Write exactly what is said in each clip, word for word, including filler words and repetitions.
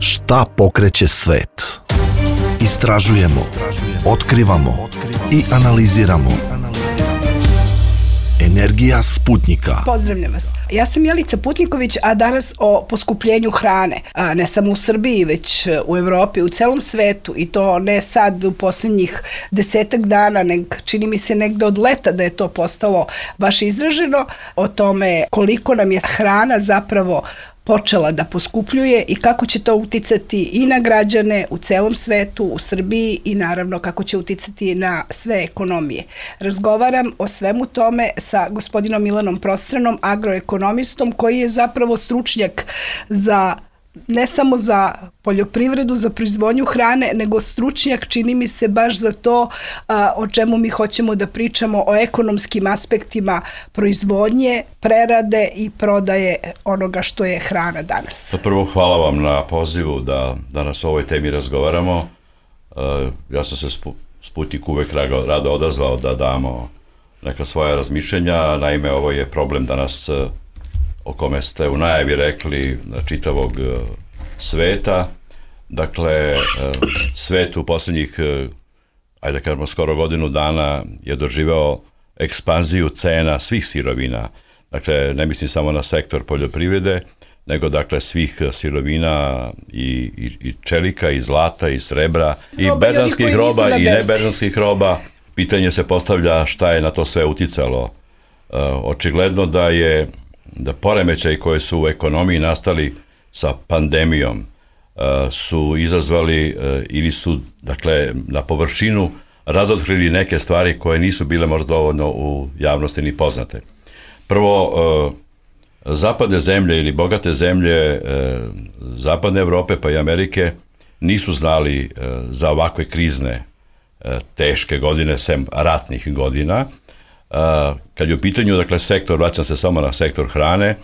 Šta pokreće svet? Istražujemo, otkrivamo i analiziramo. Energija Sputnika. Pozdravljam vas. Ja sam Jelica Putniković, a danas o poskupljenju hrane. A ne samo u Srbiji, već u Evropi, u celom svetu. I to ne sad u posljednjih desetak dana, nego čini mi se negde od leta da je to postalo baš izraženo. O tome koliko nam je hrana zapravo počela da poskupljuje i kako će to uticati i na građane u celom svetu, u Srbiji i naravno kako će uticati na sve ekonomije. Razgovaram o svemu tome sa gospodinom Milanom Prostranom, agroekonomistom koji je zapravo stručnjak za ne samo za poljoprivredu, za proizvodnju hrane, nego stručnjak, čini mi se, baš za to a, o čemu mi hoćemo da pričamo, o ekonomskim aspektima proizvodnje, prerade i prodaje onoga što je hrana danas. Prvo, hvala vam na pozivu da danas o ovoj temi razgovaramo. E, ja sam se Sputnik uvek rado, rado odazvao da damo neka svoja razmišljenja. Naime, ovo je problem danas o kome ste u najavi rekli čitavog sveta. Dakle, svet u posljednjih, ajde da kažemo, skoro godinu dana je doživeo ekspanziju cena svih sirovina. Dakle, ne mislim samo na sektor poljoprivrede, nego dakle svih sirovina i, i, i čelika, i zlata, i srebra, i berzanskih roba, i neberzanskih roba. Pitanje se postavlja šta je na to sve uticalo. Očigledno da je da poremećaji koji su u ekonomiji nastali sa pandemijom uh, su izazvali uh, ili su, dakle, na površinu razotkrili neke stvari koje nisu bile možda dovoljno u javnosti ni poznate. Prvo, uh, zapadne zemlje ili bogate zemlje uh, zapadne Evrope pa i Amerike nisu znali uh, za ovakve krizne uh, teške godine, sem ratnih godina. Uh, kad je u pitanju, dakle, sektor, vraćam se samo na sektor hrane,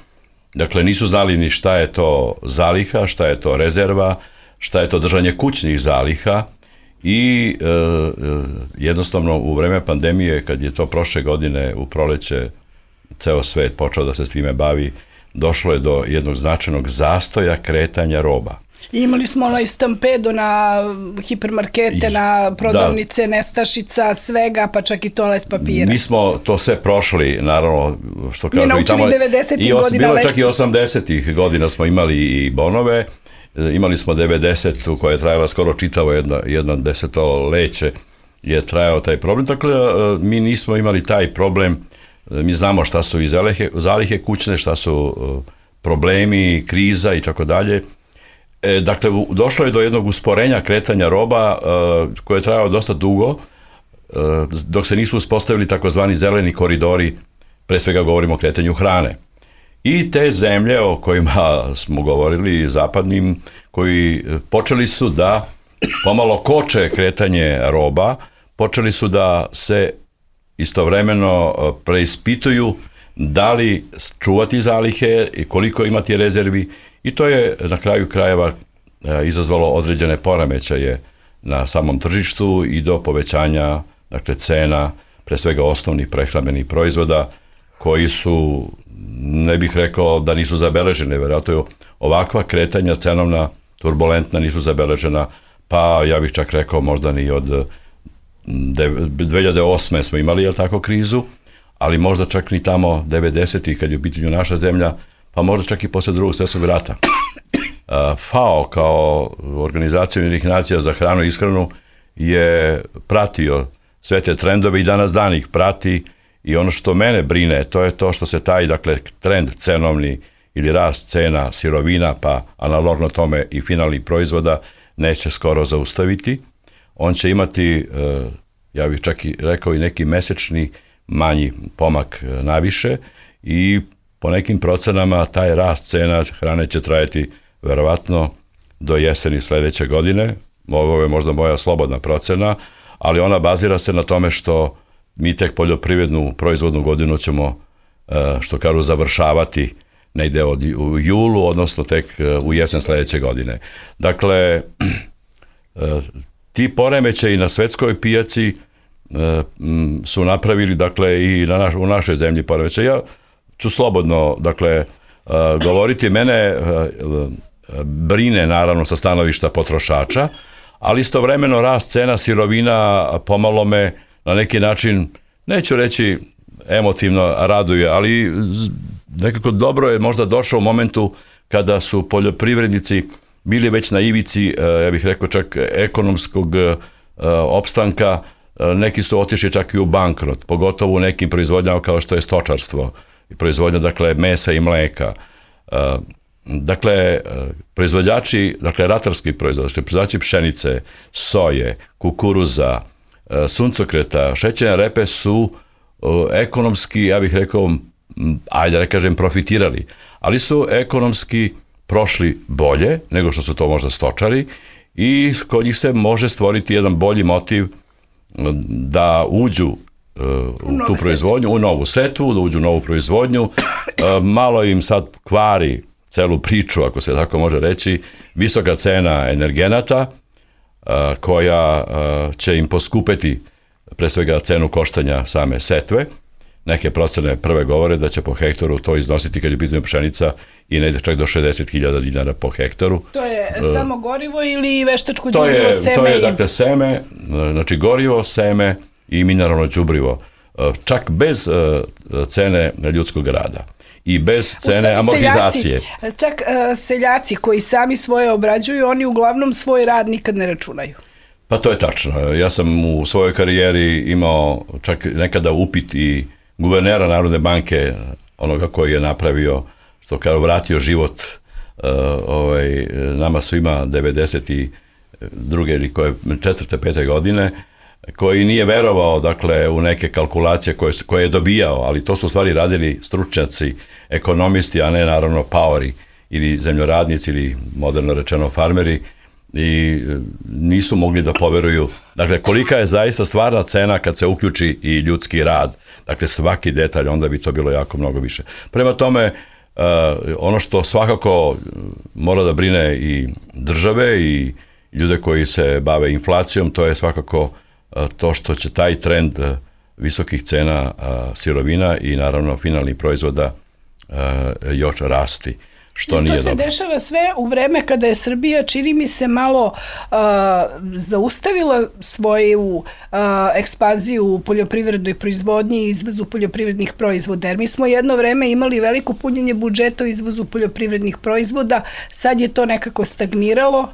dakle, nisu znali ni šta je to zaliha, šta je to rezerva, šta je to držanje kućnih zaliha i uh, jednostavno u vreme pandemije, kad je to prošle godine u proleće ceo svet počeo da se s time bavi, došlo je do jednog značajnog zastoja kretanja roba. Imali smo onaj stampedo na hipermarkete, na prodavnice, da, nestašica, svega, pa čak i toalet papira. Mi smo to sve prošli, naravno, što kažu. Mi naučili devedesetih godina. Bilo čak i osamdesetih godina smo imali i bonove. Imali smo devedesetu koja je trajala skoro čitavo jedna, jedna desetoleće je trajao taj problem. Dakle, mi nismo imali taj problem. Mi znamo šta su i zalihe, zalihe kućne, šta su problemi, kriza i tako dalje. E, dakle, došlo je do jednog usporenja kretanja roba uh, koje je trajalo dosta dugo, uh, dok se nisu uspostavili takozvani zeleni koridori, pre svega govorimo o kretanju hrane. I te zemlje o kojima smo govorili, zapadnim, koji počeli su da pomalo koče kretanje roba, počeli su da se istovremeno preispituju da li čuvati zalihe i koliko imati rezervi. I to je na kraju krajeva izazvalo određene poremećaje na samom tržištu i do povećanja, dakle, cena, pre svega osnovnih prehrambenih proizvoda, koji su, ne bih rekao da nisu zabeležene, vjerojatno ovakva kretanja cenovna, turbulentna, nisu zabeležena, pa ja bih čak rekao možda ni od dve hiljade osme smo imali, jel tako, krizu, ali možda čak ni tamo devedesetih kad je u pitanju naša zemlja, pa možda čak i posle drugog svjetskog rata. F A O kao Organizacija Ujedinjenih nacija za hranu i ishranu je pratio sve te trendove i danas dan ih prati i ono što mene brine, to je to što se taj, dakle, trend cenovni ili rast cena sirovina, pa analogno tome i finalnih proizvoda, neće skoro zaustaviti. On će imati, ja bih čak i rekao, i neki mesečni manji pomak naviše i po nekim procenama taj rast cena hrane će trajati verovatno do jeseni sledeće godine. Ovo je možda moja slobodna procena, ali ona bazira se na tome što mi tek poljoprivrednu proizvodnu godinu ćemo, što kažu, završavati negde od, u julu, odnosno tek u jesen sledeće godine. Dakle, ti poremećaji na svetskoj pijaci su napravili, dakle, i na naš, u našoj zemlji poremećaj. Ja ću slobodno, dakle, govoriti. Mene brine naravno sa stanovišta potrošača, ali istovremeno rast cena sirovina pomalo me na neki način, neću reći emotivno raduje, ali nekako dobro je možda došao u momentu kada su poljoprivrednici bili već na ivici, ja bih rekao čak ekonomskog opstanka, neki su otišli čak i u bankrot, pogotovo u nekim proizvodnjama kao što je stočarstvo, proizvodnja dakle mesa i mleka. Dakle, proizvođači, dakle ratarski proizvođači, proizvođači pšenice, soje, kukuruza, suncokreta, šećerne repe su ekonomski, ja bih rekao, ajde da kažem, profitirali, ali su ekonomski prošli bolje nego što su to možda stočari i kod njih se može stvoriti jedan bolji motiv da uđu u tu proizvodnju, u novu setvu, da uđu u novu proizvodnju. Malo im sad kvari celu priču, ako se tako može reći, visoka cena energenata koja će im poskupeti pre svega cenu koštanja same setve. Neke procene prve govore da će po hektaru to iznositi, kad je pitanje pšenica, i negde čak do šezdeset hiljada dinara po hektaru. To je uh, samo gorivo ili veštačko to đubrivo, je, seme? To je, i... dakle, seme, znači gorivo, seme i mineralno đubrivo. Čak bez uh, cene ljudskog rada i bez cene amortizacije. Seljaci, čak uh, seljaci koji sami svoje obrađuju, oni uglavnom svoj rad nikad ne računaju. Pa to je tačno. Ja sam u svojoj karijeri imao čak nekada upit i guvernera Narodne banke, onoga koji je napravio, što kao vratio život uh, ovaj, nama svima devedeset druge ili koje četvrte, pete godine, koji nije verovao, dakle, u neke kalkulacije koje, koje je dobijao, ali to su u stvari radili stručnjaci, ekonomisti, a ne naravno paori ili zemljoradnici ili moderno rečeno farmeri, i nisu mogli da poveruju, dakle, kolika je zaista stvarna cena kad se uključi i ljudski rad, dakle, svaki detalj, onda bi to bilo jako mnogo više. Prema tome, uh, ono što svakako mora da brine i države i ljude koji se bave inflacijom, to je svakako uh, to što će taj trend uh, visokih cena uh, sirovina i naravno finalnih proizvoda uh, još rasti. Što nije to se dobro. Dešava sve u vreme kada je Srbija, čini mi se, malo uh, zaustavila svoju uh, ekspanziju u poljoprivrednoj proizvodnji i izvozu poljoprivrednih proizvoda. Jer mi smo jedno vreme imali veliko punjenje budžeta u izvozu poljoprivrednih proizvoda, sad je to nekako stagniralo.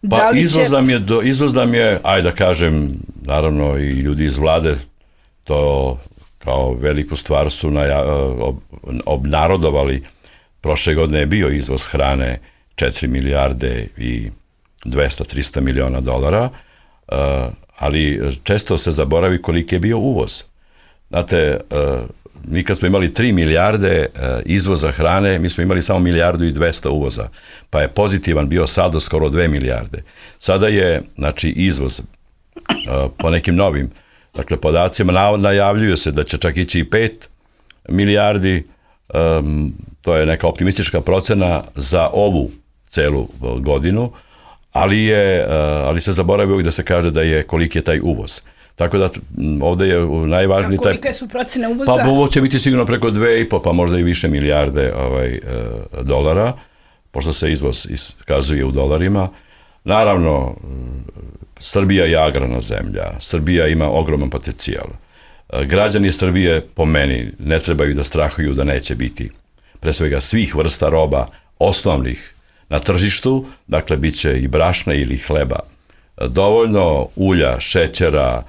Pa da li izvoz, će... nam je, do, izvoz nam je, ajde da kažem, naravno i ljudi iz vlade to kao veliku stvar su naja, ob, obnarodovali. Prošle godine je bio izvoz hrane četiri milijarde i dvesta do trista miliona dolara, ali često se zaboravi koliki je bio uvoz. Znate, mi kad smo imali tri milijarde izvoza hrane, mi smo imali samo milijardu i dvesta uvoza, pa je pozitivan bio saldo skoro dve milijarde. Sada je, znači, izvoz po nekim novim, dakle, podacima, najavljuju se da će čak ići i pet milijardi. Um, to je neka optimistička procena za ovu celu godinu, ali, je, uh, ali se zaboravi uvijek da se kaže da je koliki je taj uvoz. Tako da ovde je najvažniji taj... A kolike su procene uvoza? Pa uvoz će biti sigurno preko dve i po, pa možda i više milijarde ovaj, uh, dolara, pošto se izvoz iskazuje u dolarima. Naravno, Srbija je agrarna zemlja, Srbija ima ogroman potencijal. Građani Srbije, po meni, ne trebaju da strahuju da neće biti pre svega svih vrsta roba osnovnih na tržištu, dakle, bit će i brašna ili hleba dovoljno, ulja, šećera,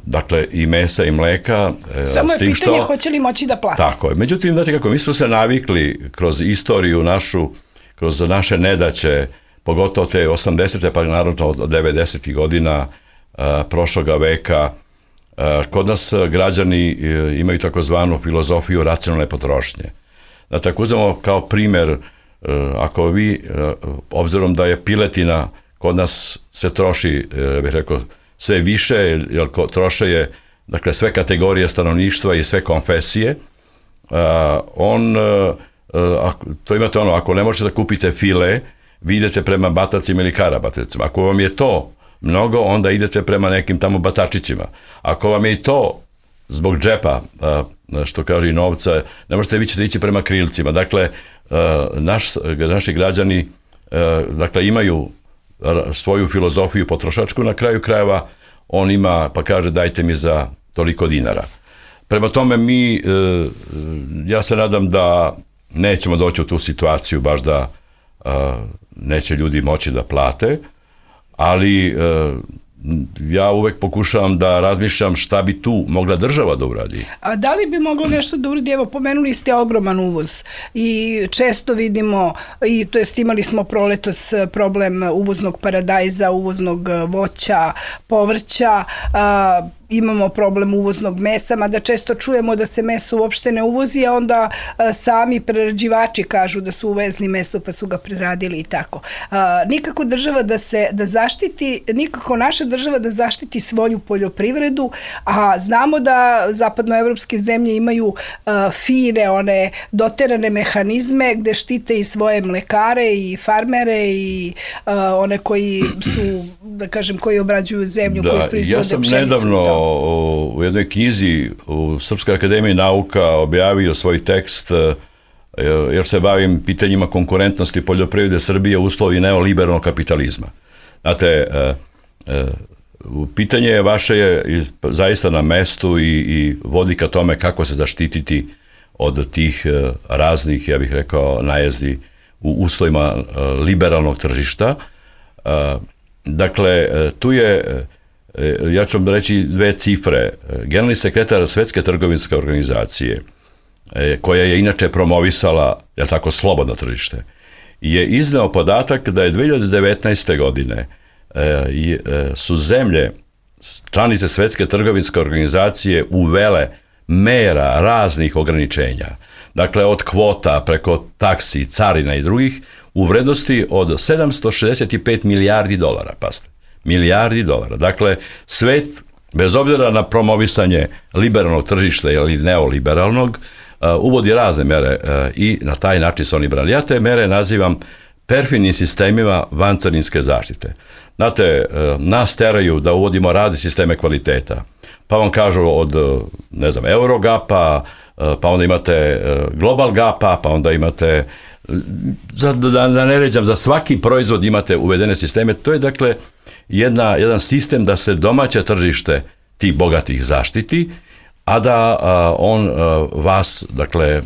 dakle, i mesa i mleka. Samo je pitanje što, hoće li moći da plati. Tako je. Međutim, znate kako, mi smo se navikli kroz istoriju našu, kroz naše nedaće, pogotovo te osamdesete pa naravno od devedesetih godina prošloga veka, kod nas građani imaju takozvanu filozofiju racionalne potrošnje. Znate, ako uzmemo kao primer, ako vi, obzirom da je piletina kod nas se troši, bih rekao, sve više, jer troše je, dakle, sve kategorije stanovništva i sve konfesije, on, to imate ono, ako ne možete da kupite file, vi idete prema batacima ili karabatacima. Ako vam je to mnogo, onda idete prema nekim tamo batačićima. Ako vam je i to zbog džepa, što kaže i novca, ne možete, vi ćete ići prema krilcima. Dakle, naš, naši građani dakle imaju svoju filozofiju potrošačku, na kraju krajeva on ima, pa kaže dajte mi za toliko dinara. Prema tome mi, ja se nadam da nećemo doći u tu situaciju baš da neće ljudi moći da plate, ali ja uvek pokušavam da razmišljam šta bi tu mogla država da uradi. A da li bi moglo nešto da uradi? Evo, pomenuli ste ogroman uvoz i često vidimo, i to jest imali smo proletos problem uvoznog paradajza, uvoznog voća, povrća, a, imamo problem uvoznog mesa, mada često čujemo da se meso uopšte ne uvozi, a onda a, sami prerađivači kažu da su uvezli meso pa su ga preradili i tako. A, nikako država da se da zaštiti, nikako naša država da zaštiti svoju poljoprivredu, a znamo da zapadnoevropske zemlje imaju a, fine, one doterane mehanizme gde štite i svoje mlekare i farmere i a, one koji su, da kažem, koji obrađuju zemlju, da, koji proizvode pšenicu. Ja sam nedavno u jednoj knjizi u Srpskoj akademiji nauka objavio svoj tekst, jer se bavim pitanjima konkurentnosti poljoprivrede Srbije u uslovi neoliberalnog kapitalizma. Znate, pitanje je vaše je zaista na mestu i, i vodi ka tome kako se zaštititi od tih raznih, ja bih rekao, najezdi u uslovima liberalnog tržišta. Dakle, tu je, ja ću vam reći dve cifre. Generalni sekretar Svetske trgovinske organizacije, koja je inače promovisala, je tako, slobodno tržište, je izneo podatak da je dve hiljade devetnaeste. godine su zemlje, članice Svetske trgovinske organizacije uvele mera raznih ograničenja. Dakle, od kvota preko taksi, carina i drugih, u vrednosti od sedamsto šezdeset pet milijardi dolara, pazite, milijardi dolara. Dakle, svet, bez obzira na promovisanje liberalnog tržišta ili neoliberalnog, uvodi razne mere i na taj način su oni brali. Ja te mere nazivam perfidnim sistemima vancarinske zaštite. Znate, nas teraju da uvodimo razne sisteme kvaliteta. Pa vam kažu od, ne znam, Eurogapa, pa onda imate Global Gapa, pa onda imate, za, da, da ne ređam, za svaki proizvod imate uvedene sisteme. To je, dakle, jedna, jedan sistem da se domaće tržište tih bogatih zaštiti, a da a, on a, vas, dakle,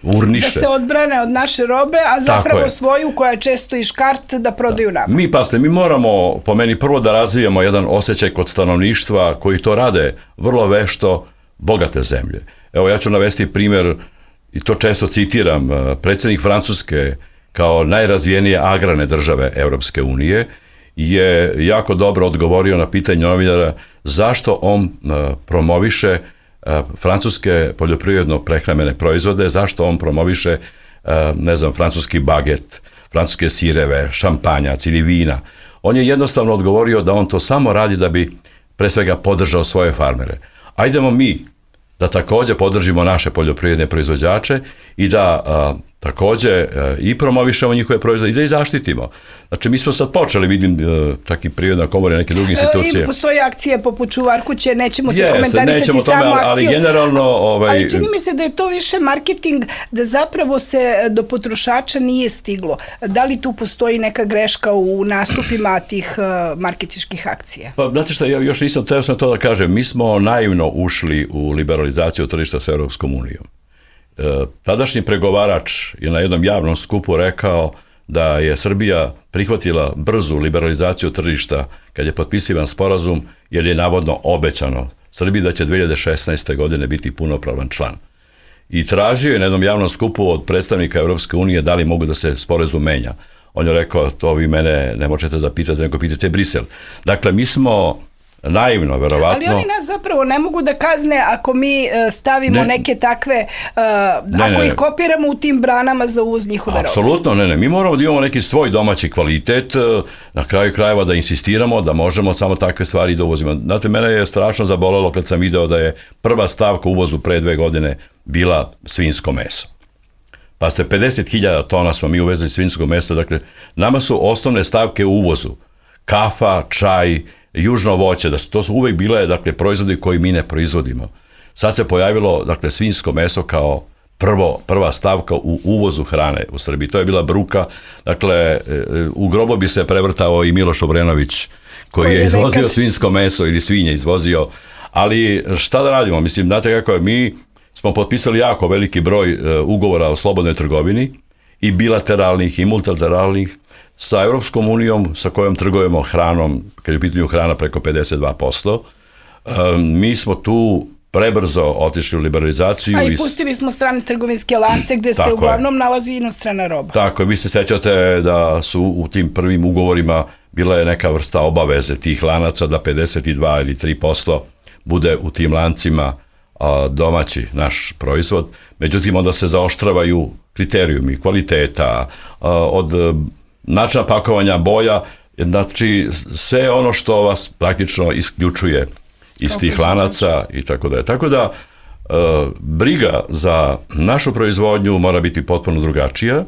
urniše. Da se odbrane od naše robe, a zapravo svoju, koja je često i škart, da prodaju da. nama. Mi, paste, mi moramo, po meni, prvo da razvijemo jedan osjećaj kod stanovništva koji to rade vrlo vešto, bogate zemlje. Evo, ja ću navesti primjer, i to često citiram, predsjednik Francuske kao najrazvijenije agrarne države Evropske unije je jako dobro odgovorio na pitanje novinara zašto on promoviše francuske poljoprivredno-prehrambene proizvode, zašto on promoviše, ne znam, francuski baget, francuske sireve, šampanjac ili vina. On je jednostavno odgovorio da on to samo radi da bi pre svega podržao svoje farmere. Ajdemo mi da takođe podržimo naše poljoprivredne proizvođače i da a, takođe a, i promovišemo njihove proizvode i da ih zaštitimo. Znači, mi smo sad počeli, vidim, a, čak i Privredna komora i neke druge institucije. I postoji akcije poput Čuvar kuće, nećemo se komentarisati nećemo samo tome, ali, akciju. Ali generalno... Ovaj... Ali čini mi se da je to više marketing, da zapravo se do potrošača nije stiglo. Da li tu postoji neka greška u nastupima tih uh, marketinških akcija? Pa, znate šta, ja još nisam teo sam to da kažem. Mi smo naivno ušli u liberalizaciju tržišta s Evropskom unijom. E, tadašnji pregovarač je na jednom javnom skupu rekao da je Srbija prihvatila brzu liberalizaciju tržišta kad je potpisivan sporazum, jer je navodno obećano Srbiji da će dve hiljade šesnaeste. godine biti punopravan član. I tražio je na jednom javnom skupu od predstavnika Evropske unije da li mogu da se sporazum menja. On je rekao, to vi mene ne možete da pitate, nego pitate Brisel. Dakle, mi smo naivno, verovatno. Ali oni nas zapravo ne mogu da kazne ako mi stavimo ne, neke takve, uh, ne, ako ne, ih kopiramo u tim branama za uvoz njihove robe. Apsolutno, ne, ne. Mi moramo da imamo neki svoj domaći kvalitet, na kraju krajeva da insistiramo da možemo samo takve stvari da uvozimo. Znate, mene je strašno zabolelo kad sam video da je prva stavka u uvozu pre dve godine bila svinjsko meso. Pa ste pedeset hiljada tona smo mi uvezli svinjskog mesa, dakle, nama su osnovne stavke u uvozu. Kafa, čaj, južno voće, da su, to su uvek bile, dakle, proizvodi koji mi ne proizvodimo. Sad se pojavilo, dakle, svinjsko meso kao prvo, prva stavka u uvozu hrane u Srbiji. To je bila bruka. Dakle, u grobo bi se prevrtao i Miloš Obrenović, koji je izvozio svinjsko meso ili svinje izvozio. Ali šta da radimo? Mislim, znate kako je, mi smo potpisali jako veliki broj ugovora o slobodnoj trgovini, i bilateralnih i multilateralnih, sa Evropskom unijom, sa kojom trgujemo hranom, kad je u pitanju hrana preko pedeset dva posto. Mi smo tu prebrzo otišli u liberalizaciju. A i pustili smo strane trgovinske lance gde se uglavnom nalazi inostrana roba. Tako je, vi se sećate da su u tim prvim ugovorima bila je neka vrsta obaveze tih lanaca da pedeset dva ili tri posto bude u tim lancima domaći naš proizvod. Međutim, onda se zaoštravaju kriterijumi kvaliteta, od načina pakovanja, boja, znači sve ono što vas praktično isključuje iz tih lanaca i tako da je. Tako da, briga za našu proizvodnju mora biti potpuno drugačija.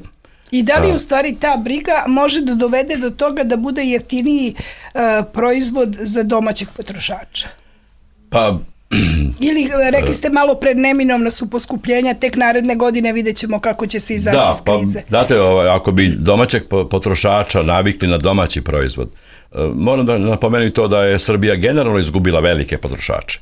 I da li u stvari ta briga može da dovede do toga da bude jeftiniji proizvod za domaćeg potrošača? Pa, ili rekli ste malo pred neminovna su poskupljenja, tek naredne godine vidjet ćemo kako će se izaći iz krize. Da, pa, date, ako bi domaćeg potrošača navikli na domaći proizvod, moram da napomenem to da je Srbija generalno izgubila velike potrošače,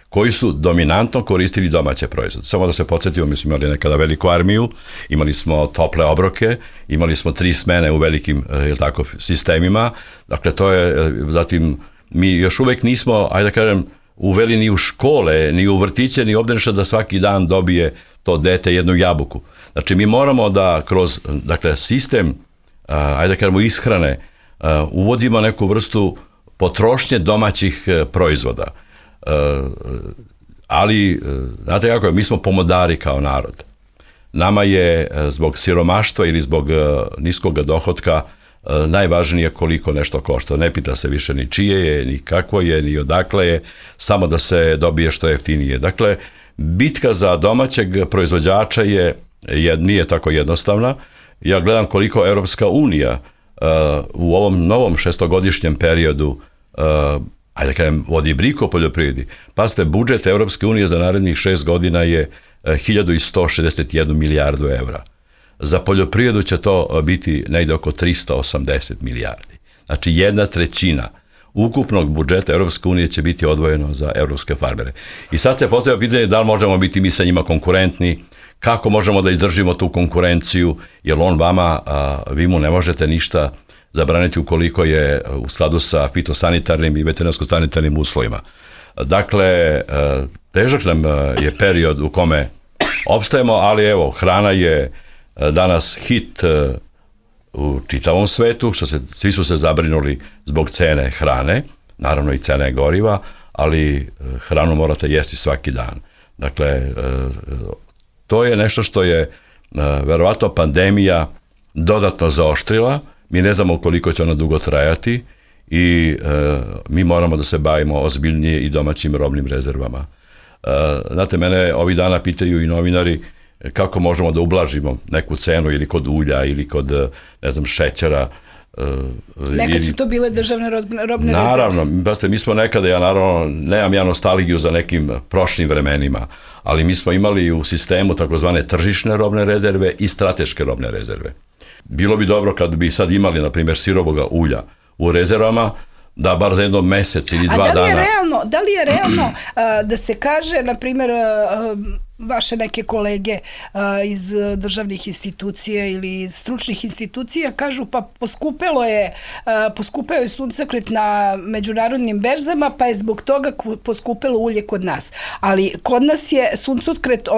koji su dominantno koristili domaće proizvode. Samo da se podsjetimo, mi smo imali nekada veliku armiju, imali smo tople obroke, imali smo tri smene u velikim tako, sistemima, dakle to je, zatim mi još uvek nismo, ajde da kažem, uveli ni u škole, ni u vrtiće, ni obdaništa da svaki dan dobije to dete jednu jabuku. Znači, mi moramo da kroz, dakle, sistem, ajde da kažemo, ishrane, uvodimo neku vrstu potrošnje domaćih proizvoda. Ali, znate kako je, mi smo pomodari kao narod. Nama je zbog siromaštva ili zbog niskog dohotka najvažnije koliko nešto košta. Ne pita se više ni čije je, ni kakvo je, ni odakle je, samo da se dobije što jeftinije. Dakle, bitka za domaćeg proizvođača je, je nije tako jednostavna. Ja gledam koliko Evropska unija uh, u ovom novom šestogodišnjem periodu uh, ajde da kažem, vodi brigu o poljoprivredi. Pazite, budžet Evropske unije za narednih šest godina je hiljadu sto šezdeset jedna milijardu evra. Za poljoprivredu će to biti negde oko tristo osamdeset milijardi. Znači, jedna trećina ukupnog budžeta Evropske unije će biti odvojeno za evropske farmere. I sad se postavlja pitanje da li možemo biti mi sa njima konkurentni, kako možemo da izdržimo tu konkurenciju, jer on vama, a, vi mu ne možete ništa zabraniti ukoliko je u skladu sa fitosanitarnim i veterinarsko-sanitarnim uslovima. Dakle, težak nam je period u kome opstajemo, ali evo, hrana je danas hit u čitavom svetu, što se, svi su se zabrinuli zbog cene hrane, naravno i cene goriva, ali hranu morate jesti svaki dan. Dakle, to je nešto što je verovatno pandemija dodatno zaoštrila, mi ne znamo koliko će ona dugo trajati i mi moramo da se bavimo ozbiljnije i domaćim robnim rezervama. Znate, mene ovih dana pitaju i novinari kako možemo da ublažimo neku cenu ili kod ulja ili kod, ne znam, šećera. Nekad ili... su to bile državne robne rezerve. Naravno, baste, mi smo nekada, ja naravno nemam ja nostalgiju za nekim prošlim vremenima, ali mi smo imali u sistemu takozvane tržišne robne rezerve i strateške robne rezerve. Bilo bi dobro kad bi sad imali, na primjer, sirovoga ulja u rezervama, da bar za jedno mesec ili dva dana... A da li je realno, da li je realno uh, da se kaže, na primjer, uh, vaše neke kolege uh, iz državnih institucija ili iz stručnih institucija kažu pa poskupelo je, uh, poskupeo je suncokret na međunarodnim berzama, pa je zbog toga poskupelo ulje kod nas. Ali kod nas je suncokret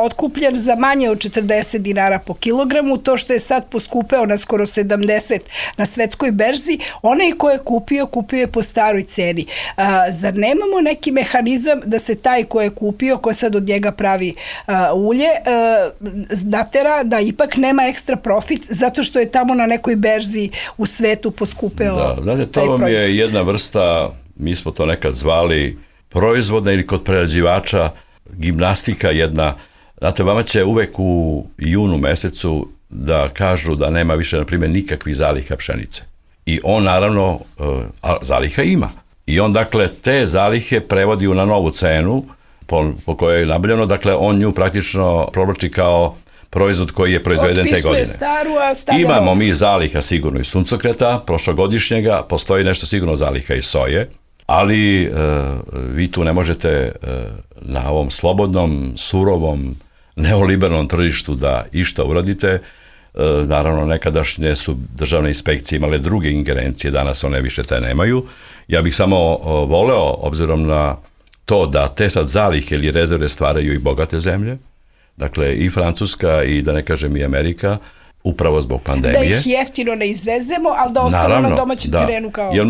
otkupljen za manje od četrdeset dinara po kilogramu, to što je sad poskupeo na skoro sedamdeset na svetskoj berzi, onaj ko je kupio, kupio je po staroj ceni. Uh, zar nemamo neki mehanizam da se taj ko je kupio, ko sad od njega pravi Uh, ulje, uh, natera da ipak nema ekstra profit zato što je tamo na nekoj berzi u svetu poskupeo da, znate, to vam proizvod. Je jedna vrsta, mi smo to nekad zvali proizvodna ili kod prerađivača gimnastika jedna. Znate, vama će uvek u junu mesecu da kažu da nema više, na primjer, nikakvih zaliha pšenice. I on naravno, uh, a zaliha ima. I on, dakle, te zalihe prevodi na novu cenu. po, po kojoj je nabavljeno, dakle on nju praktično provlači kao proizvod koji je proizveden te godine. Otpisuje staru, a stavlja Imamo novu. mi zaliha sigurno i suncokreta, prošlogodišnjega, postoji nešto sigurno zaliha i soje, ali e, vi tu ne možete e, na ovom slobodnom, surovom, neoliberalnom tržištu da išta uradite. E, naravno, nekadašnje su državne inspekcije imale druge ingerencije, danas one više te nemaju. Ja bih samo o, voleo, obzirom na to da te sad zalihe ili rezerve stvaraju i bogate zemlje, dakle i Francuska i da ne kažem i Amerika, upravo zbog pandemije. Da ih jeftino ne izvezemo, ali da ostanu Naravno, na domaćem da. terenu kao... Jer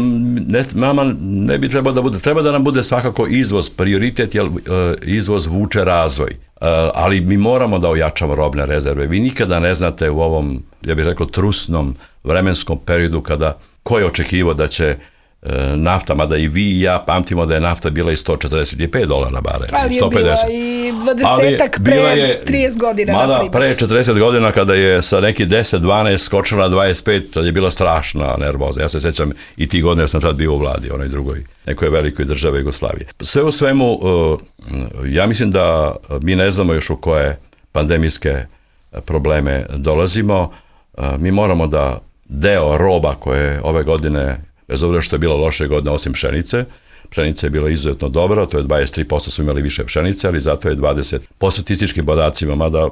ne, mama ne bi trebalo da bude, treba da nam bude svakako izvoz prioritet, jer uh, izvoz vuče razvoj. Uh, ali mi moramo da ojačamo robne rezerve. Vi nikada ne znate u ovom, ja bih rekao, trusnom vremenskom periodu kada ko je očekivao da će nafta, mada i vi i ja pamtimo da je nafta bila i sto četrdeset pet dolara barel, ali je sto pedeset. bila i dvadesetak pre je, trideset godina. Mada pre četrdeset godina kada je sa neki deset dvanaest skočila na dvadeset pet, to je bila strašna nervoza. Ja se sećam i tih godina, ja sam tad bio u vladi, onoj drugoj, nekoj velikoj države Jugoslavije. Sve u svemu, ja mislim da mi ne znamo još u koje pandemijske probleme dolazimo. Mi moramo da deo roba koje ove godine, bez obzira što je bila loše godine osim pšenice, pšenica je bila izuzetno dobra, to je dvadeset tri posto smo imali više pšenice, ali zato je dvadeset po statističkim podacima, mada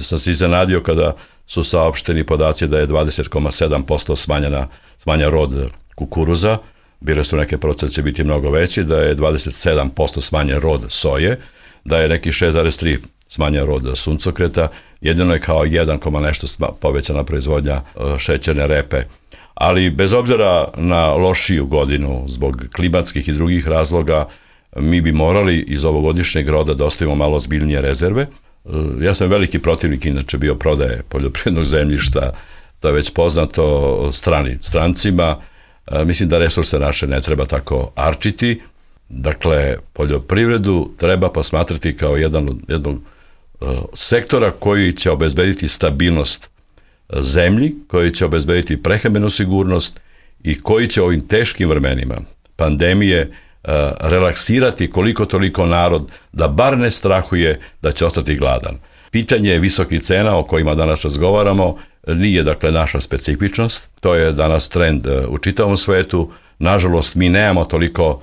sam se iznenadio kada su saopšteni podaci da je dvadeset zarez sedam posto smanjena, smanjen rod kukuruza, bile su neke procent će biti mnogo veći, da je dvadeset sedam posto smanjen rod soje, da je neki šest zarez tri smanjen rod suncokreta, jedino je kao jedan nešto povećana proizvodnja šećerne repe. Ali bez obzira na lošiju godinu zbog klimatskih i drugih razloga, mi bi morali iz ovogodišnjeg roda da ostavimo malo ozbiljnije rezerve. Ja sam veliki protivnik inače bio prodaje poljoprivrednog zemljišta, to je već poznato strani, strancima. Mislim da resurse naše ne treba tako arčiti. Dakle, poljoprivredu treba posmatrati kao jedan od jednog sektora koji će obezbediti stabilnost zemlji, koji će obezbediti prehrambenu sigurnost i koji će ovim teškim vremenima pandemije relaksirati koliko toliko narod da bar ne strahuje da će ostati gladan. Pitanje visokih cena o kojima danas razgovaramo nije dakle naša specifičnost, to je danas trend u čitavom svetu. Nažalost, mi nemamo toliko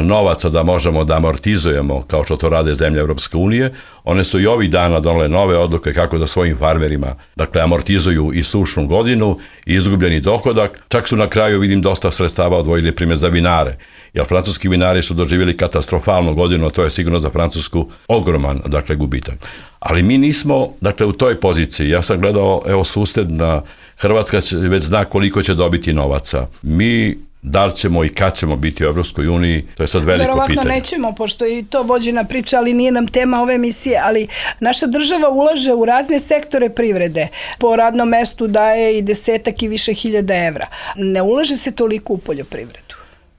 novaca da možemo da amortizujemo kao što to rade zemlje Evropske unije. One su i ovih dana donele nove odluke kako da svojim farmerima dakle amortizuju i sušnu godinu i izgubljeni dohodak. Čak su na kraju, vidim, dosta sredstava odvojili primjer za vinare. Jer francuski vinari su doživjeli katastrofalnu godinu, a to je sigurno za Francusku ogroman dakle gubitak. Ali mi nismo dakle u toj poziciji. Ja sam gledao, evo, susedna Hrvatska već zna koliko će dobiti novaca. Mi da li ćemo i kad ćemo biti u Evropskoj uniji, to je sad veliko Verovatno pitanje. Verovatno nećemo, pošto je i to vođena priča, ali nije nam tema ove emisije, ali naša država ulaže u razne sektore privrede. Po radnom mestu daje i desetak i više hiljada evra. Ne ulaže se toliko u poljoprivredu.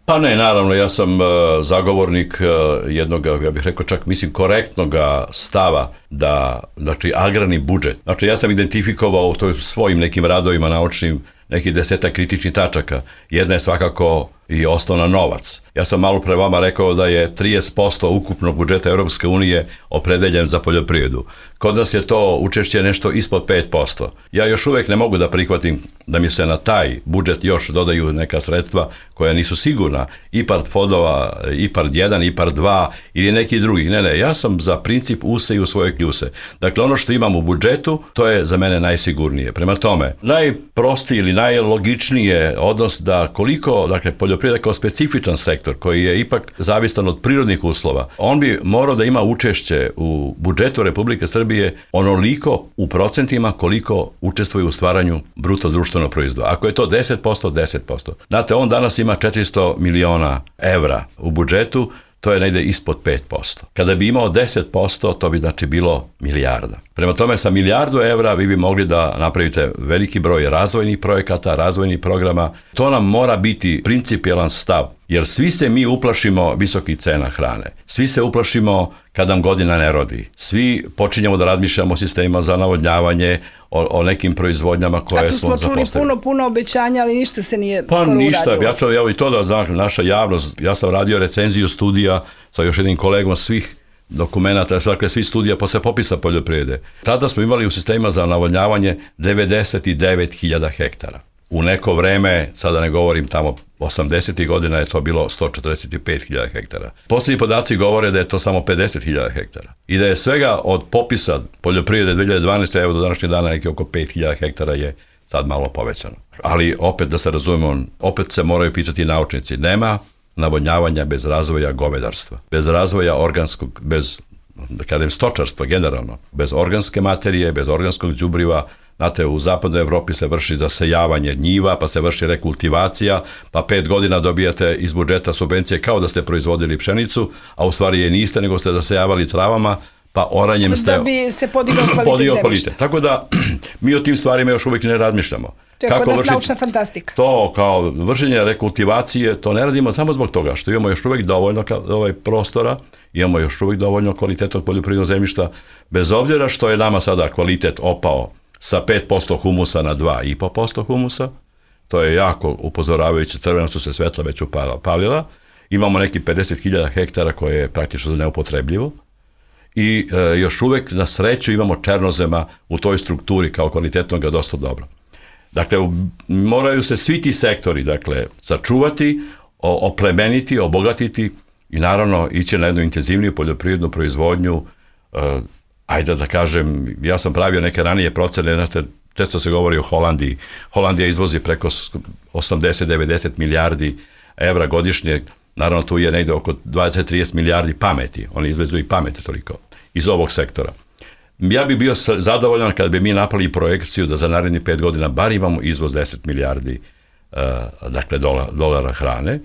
Pa ne, naravno, ja sam uh, zagovornik uh, jednog, ja bih rekao čak, mislim, korektnog stava da, znači, agrarni budžet. Znači, ja sam identifikovao u svojim nekim radovima naučnim nekih desetak kritičnih tačaka. Jedna je svakako i osnovna novac. Ja sam malo pre vama rekao da je trideset posto ukupnog budžeta Europske unije opredeljen za poljoprivredu. Kod nas je to učešće nešto ispod pet posto. Ja još uvek ne mogu da prihvatim da mi se na taj budžet još dodaju neka sredstva koja nisu sigurna. I part fondova, i part jedan, i part dva ili neki drugi. Ne, ne, ja sam za princip use i u svoje kljuse. Dakle, ono što imam u budžetu, to je za mene najsigurnije. Prema tome, najprostiji ili najlogičnije odnos da koliko, dakle, poljoprivreda kao specifičan sektor koji je ipak zavistan od prirodnih uslova, on bi morao da ima učešće u budžetu Republike Srbije onoliko u procentima koliko učestvuje u stvaranju bruto društvenog proizvoda. Ako je to deset posto, deset posto. Znate, on danas ima četiristo miliona evra u budžetu, to je negde ispod pet posto. Kada bi imao deset posto, to bi znači bilo milijarda. Prema tome, sa milijardu evra vi bi mogli da napravite veliki broj razvojnih projekata, razvojnih programa. To nam mora biti principijelan stav, jer svi se mi uplašimo visokih cena hrane. Svi se uplašimo kad nam godina ne rodi. Svi počinjemo da razmišljamo o sistemima za navodnjavanje, o, o nekim proizvodnjama koje smo zapostavili. A tu smo čuli puno, puno obećanja, ali ništa se nije pa skoro ništa, uradilo. Ja ću evo i to da znam, naša javnost, ja sam radio recenziju studija sa još jednim kolegom svih dokumenta, dakle svi studija posle popisa poljoprivrede. Tada smo imali u sistemima za navodnjavanje devedeset devet hiljada hektara. U neko vreme, sada ne govorim tamo, osamdesetih godina je to bilo sto četrdeset pet hiljada hektara. Posljednji podaci govore da je to samo pedeset hiljada hektara. I da je svega od popisa poljoprivrede dve hiljade dvanaeste. evo do današnjeg dana neki oko pet hiljada hektara je sad malo povećano. Ali opet da se razumemo, opet se moraju pitati naučnici. Nema navodnjavanja bez razvoja govedarstva, bez razvoja organskog, bez, da kažem, stočarstva generalno, bez organske materije, bez organskog đubriva. Znate, u zapadnoj Evropi se vrši zasejavanje njiva, pa se vrši rekultivacija, pa pet godina dobijate iz budžeta subvencije kao da ste proizvodili pšenicu, a u stvari je niste, nego ste zasejavali travama, pa oranjem ste... Da bi se podigao kvalitet zemljišta. Tako da mi o tim stvarima još uvijek ne razmišljamo. To je kod nas naučna fantastika. To kao vršenje rekultivacije, to ne radimo samo zbog toga što imamo još uvijek dovoljno ovaj prostora, imamo još uvijek dovoljno kvalitetnog poljoprivrednog zemljišta, bez obzira što je nama sada kvalitet opao sa pet posto humusa na dva i po posto humusa, to je jako upozoravajuće, crvena su se svetla već upalila, imamo neki pedeset hiljada hektara koje je praktično neupotrebljivo i e, još uvijek na sreću imamo černozema u toj strukturi kao kvalitetnog ga dosta dobro. Dakle, moraju se svi ti sektori, dakle, sačuvati, oplemeniti, obogatiti i naravno ići na jednu intenzivniju poljoprivrednu proizvodnju. E, ajde da kažem, ja sam pravio neke ranije procene, znate, često se govori o Holandiji. Holandija izvozi preko osamdeset do devedeset milijardi evra godišnje, naravno tu je negde oko dvadeset do trideset milijardi pameti, oni izvezu i pameti toliko iz ovog sektora. Ja bih bio zadovoljan kada bi mi napravili projekciju da za narednih pet godina bar imamo izvoz deset milijardi uh, dakle dola, dolara hrane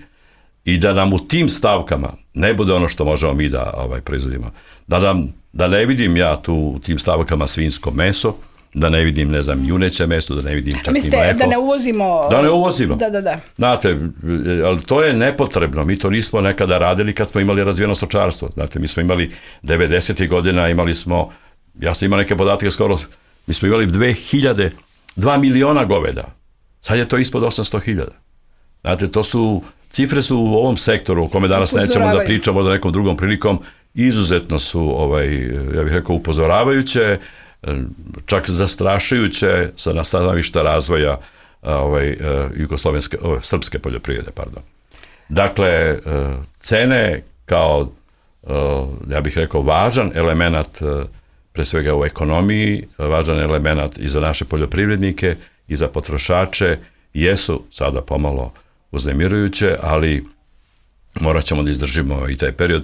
i da nam u tim stavkama ne bude ono što možemo mi da ovaj, proizvodimo. Da, nam, da ne vidim ja tu u tim stavkama svinjsko meso, da ne vidim, ne znam, juneće meso, da ne vidim čak Mislite, i mleko. da ne uvozimo... Da ne uvozimo. Da, da, da. Znate, ali to je nepotrebno. Mi to nismo nekada radili kad smo imali razvijeno stočarstvo. Znate, mi smo imali devedesetih godina, imali smo, ja sam imao neke podatke skoro, mi smo imali dve hiljade, dva miliona goveda. Sad je to ispod osamsto hiljada. Znate, to su, cifre su u ovom sektoru, u kome danas nećemo da pričamo da nekom drugom prilikom, izuzetno su, ovaj, ja bih rekao, upozoravajuće, čak zastrašujuće sa nastavišta razvoja ovaj, jugoslovenske, ovaj, srpske poljoprivrede, pardon. Dakle, cene kao, ja bih rekao, važan element, pre svega u ekonomiji, važan element i za naše poljoprivrednike i za potrošače, jesu sada pomalo uznemirujuće, ali morat ćemo da izdržimo i taj period.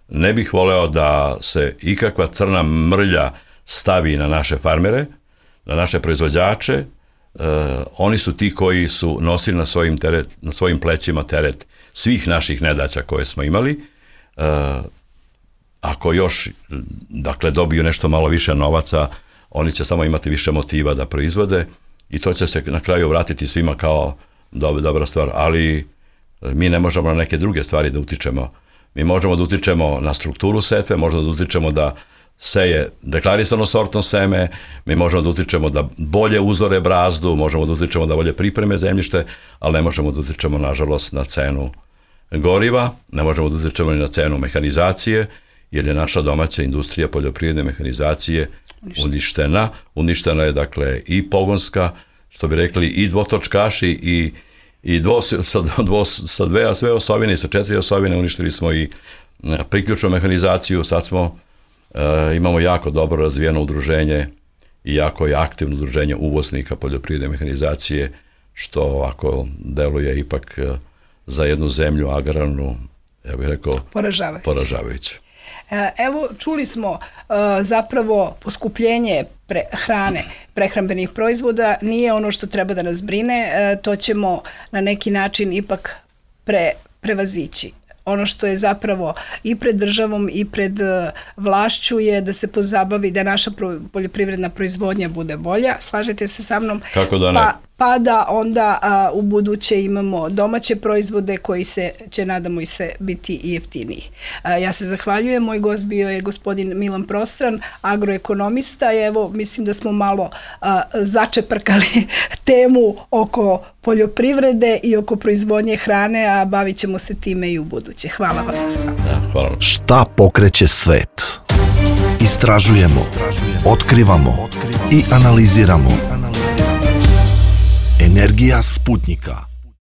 Ne bih voleo da se ikakva crna mrlja stavi na naše farmere, na naše proizvođače. E, oni su ti koji su nosili na svojim, teret, na svojim plećima teret svih naših nedaća koje smo imali. E, ako još, dakle, dobiju nešto malo više novaca, oni će samo imati više motiva da proizvode i to će se na kraju vratiti svima kao dob, dobra stvar, ali mi ne možemo na neke druge stvari da utičemo. Mi možemo da utičemo na strukturu setve, možemo da utičemo da seje deklarisano sortno seme, mi možemo da utičemo da bolje uzore brazdu, možemo da utičemo da bolje pripreme zemljište, ali ne možemo da utičemo, nažalost, na cenu goriva, ne možemo da utičemo ni na cenu mehanizacije, jer je naša domaća industrija poljoprivredne mehanizacije uništena. Uništena je, dakle, i pogonska, što bi rekli, i dvotočkaši, i, i dvo, sa, dvo, sa dve, sve osovine i sa četiri osovine uništili smo i priključnu mehanizaciju, sad smo E, imamo jako dobro razvijeno udruženje i jako je aktivno udruženje uvoznika poljoprivredne mehanizacije, što ako deluje ipak za jednu zemlju agrarnu, ja bih rekao, poražavajuće. poražavajuće. Evo, čuli smo zapravo poskupljenje pre, hrane, prehrambenih proizvoda, nije ono što treba da nas brine, to ćemo na neki način ipak pre, prevazići. Ono što je zapravo i pred državom i pred vlašću je da se pozabavi da naša poljoprivredna proizvodnja bude bolja. Slažete se sa mnom? Kako da ne? Pa, pa da onda a, u buduće imamo domaće proizvode koji se, će nadamo i se biti i jeftiniji. A, ja se zahvaljujem, moj gost bio je gospodin Milan Prostran, agroekonomista i evo mislim da smo malo a, začeprkali temu oko poljoprivrede i oko proizvodnje hrane, a bavit ćemo se time i u buduće. Hvala vam. Da, hvala vam. Šta pokreće svet? Istražujemo, otkrivamo i analiziramo. Energija Sputnika.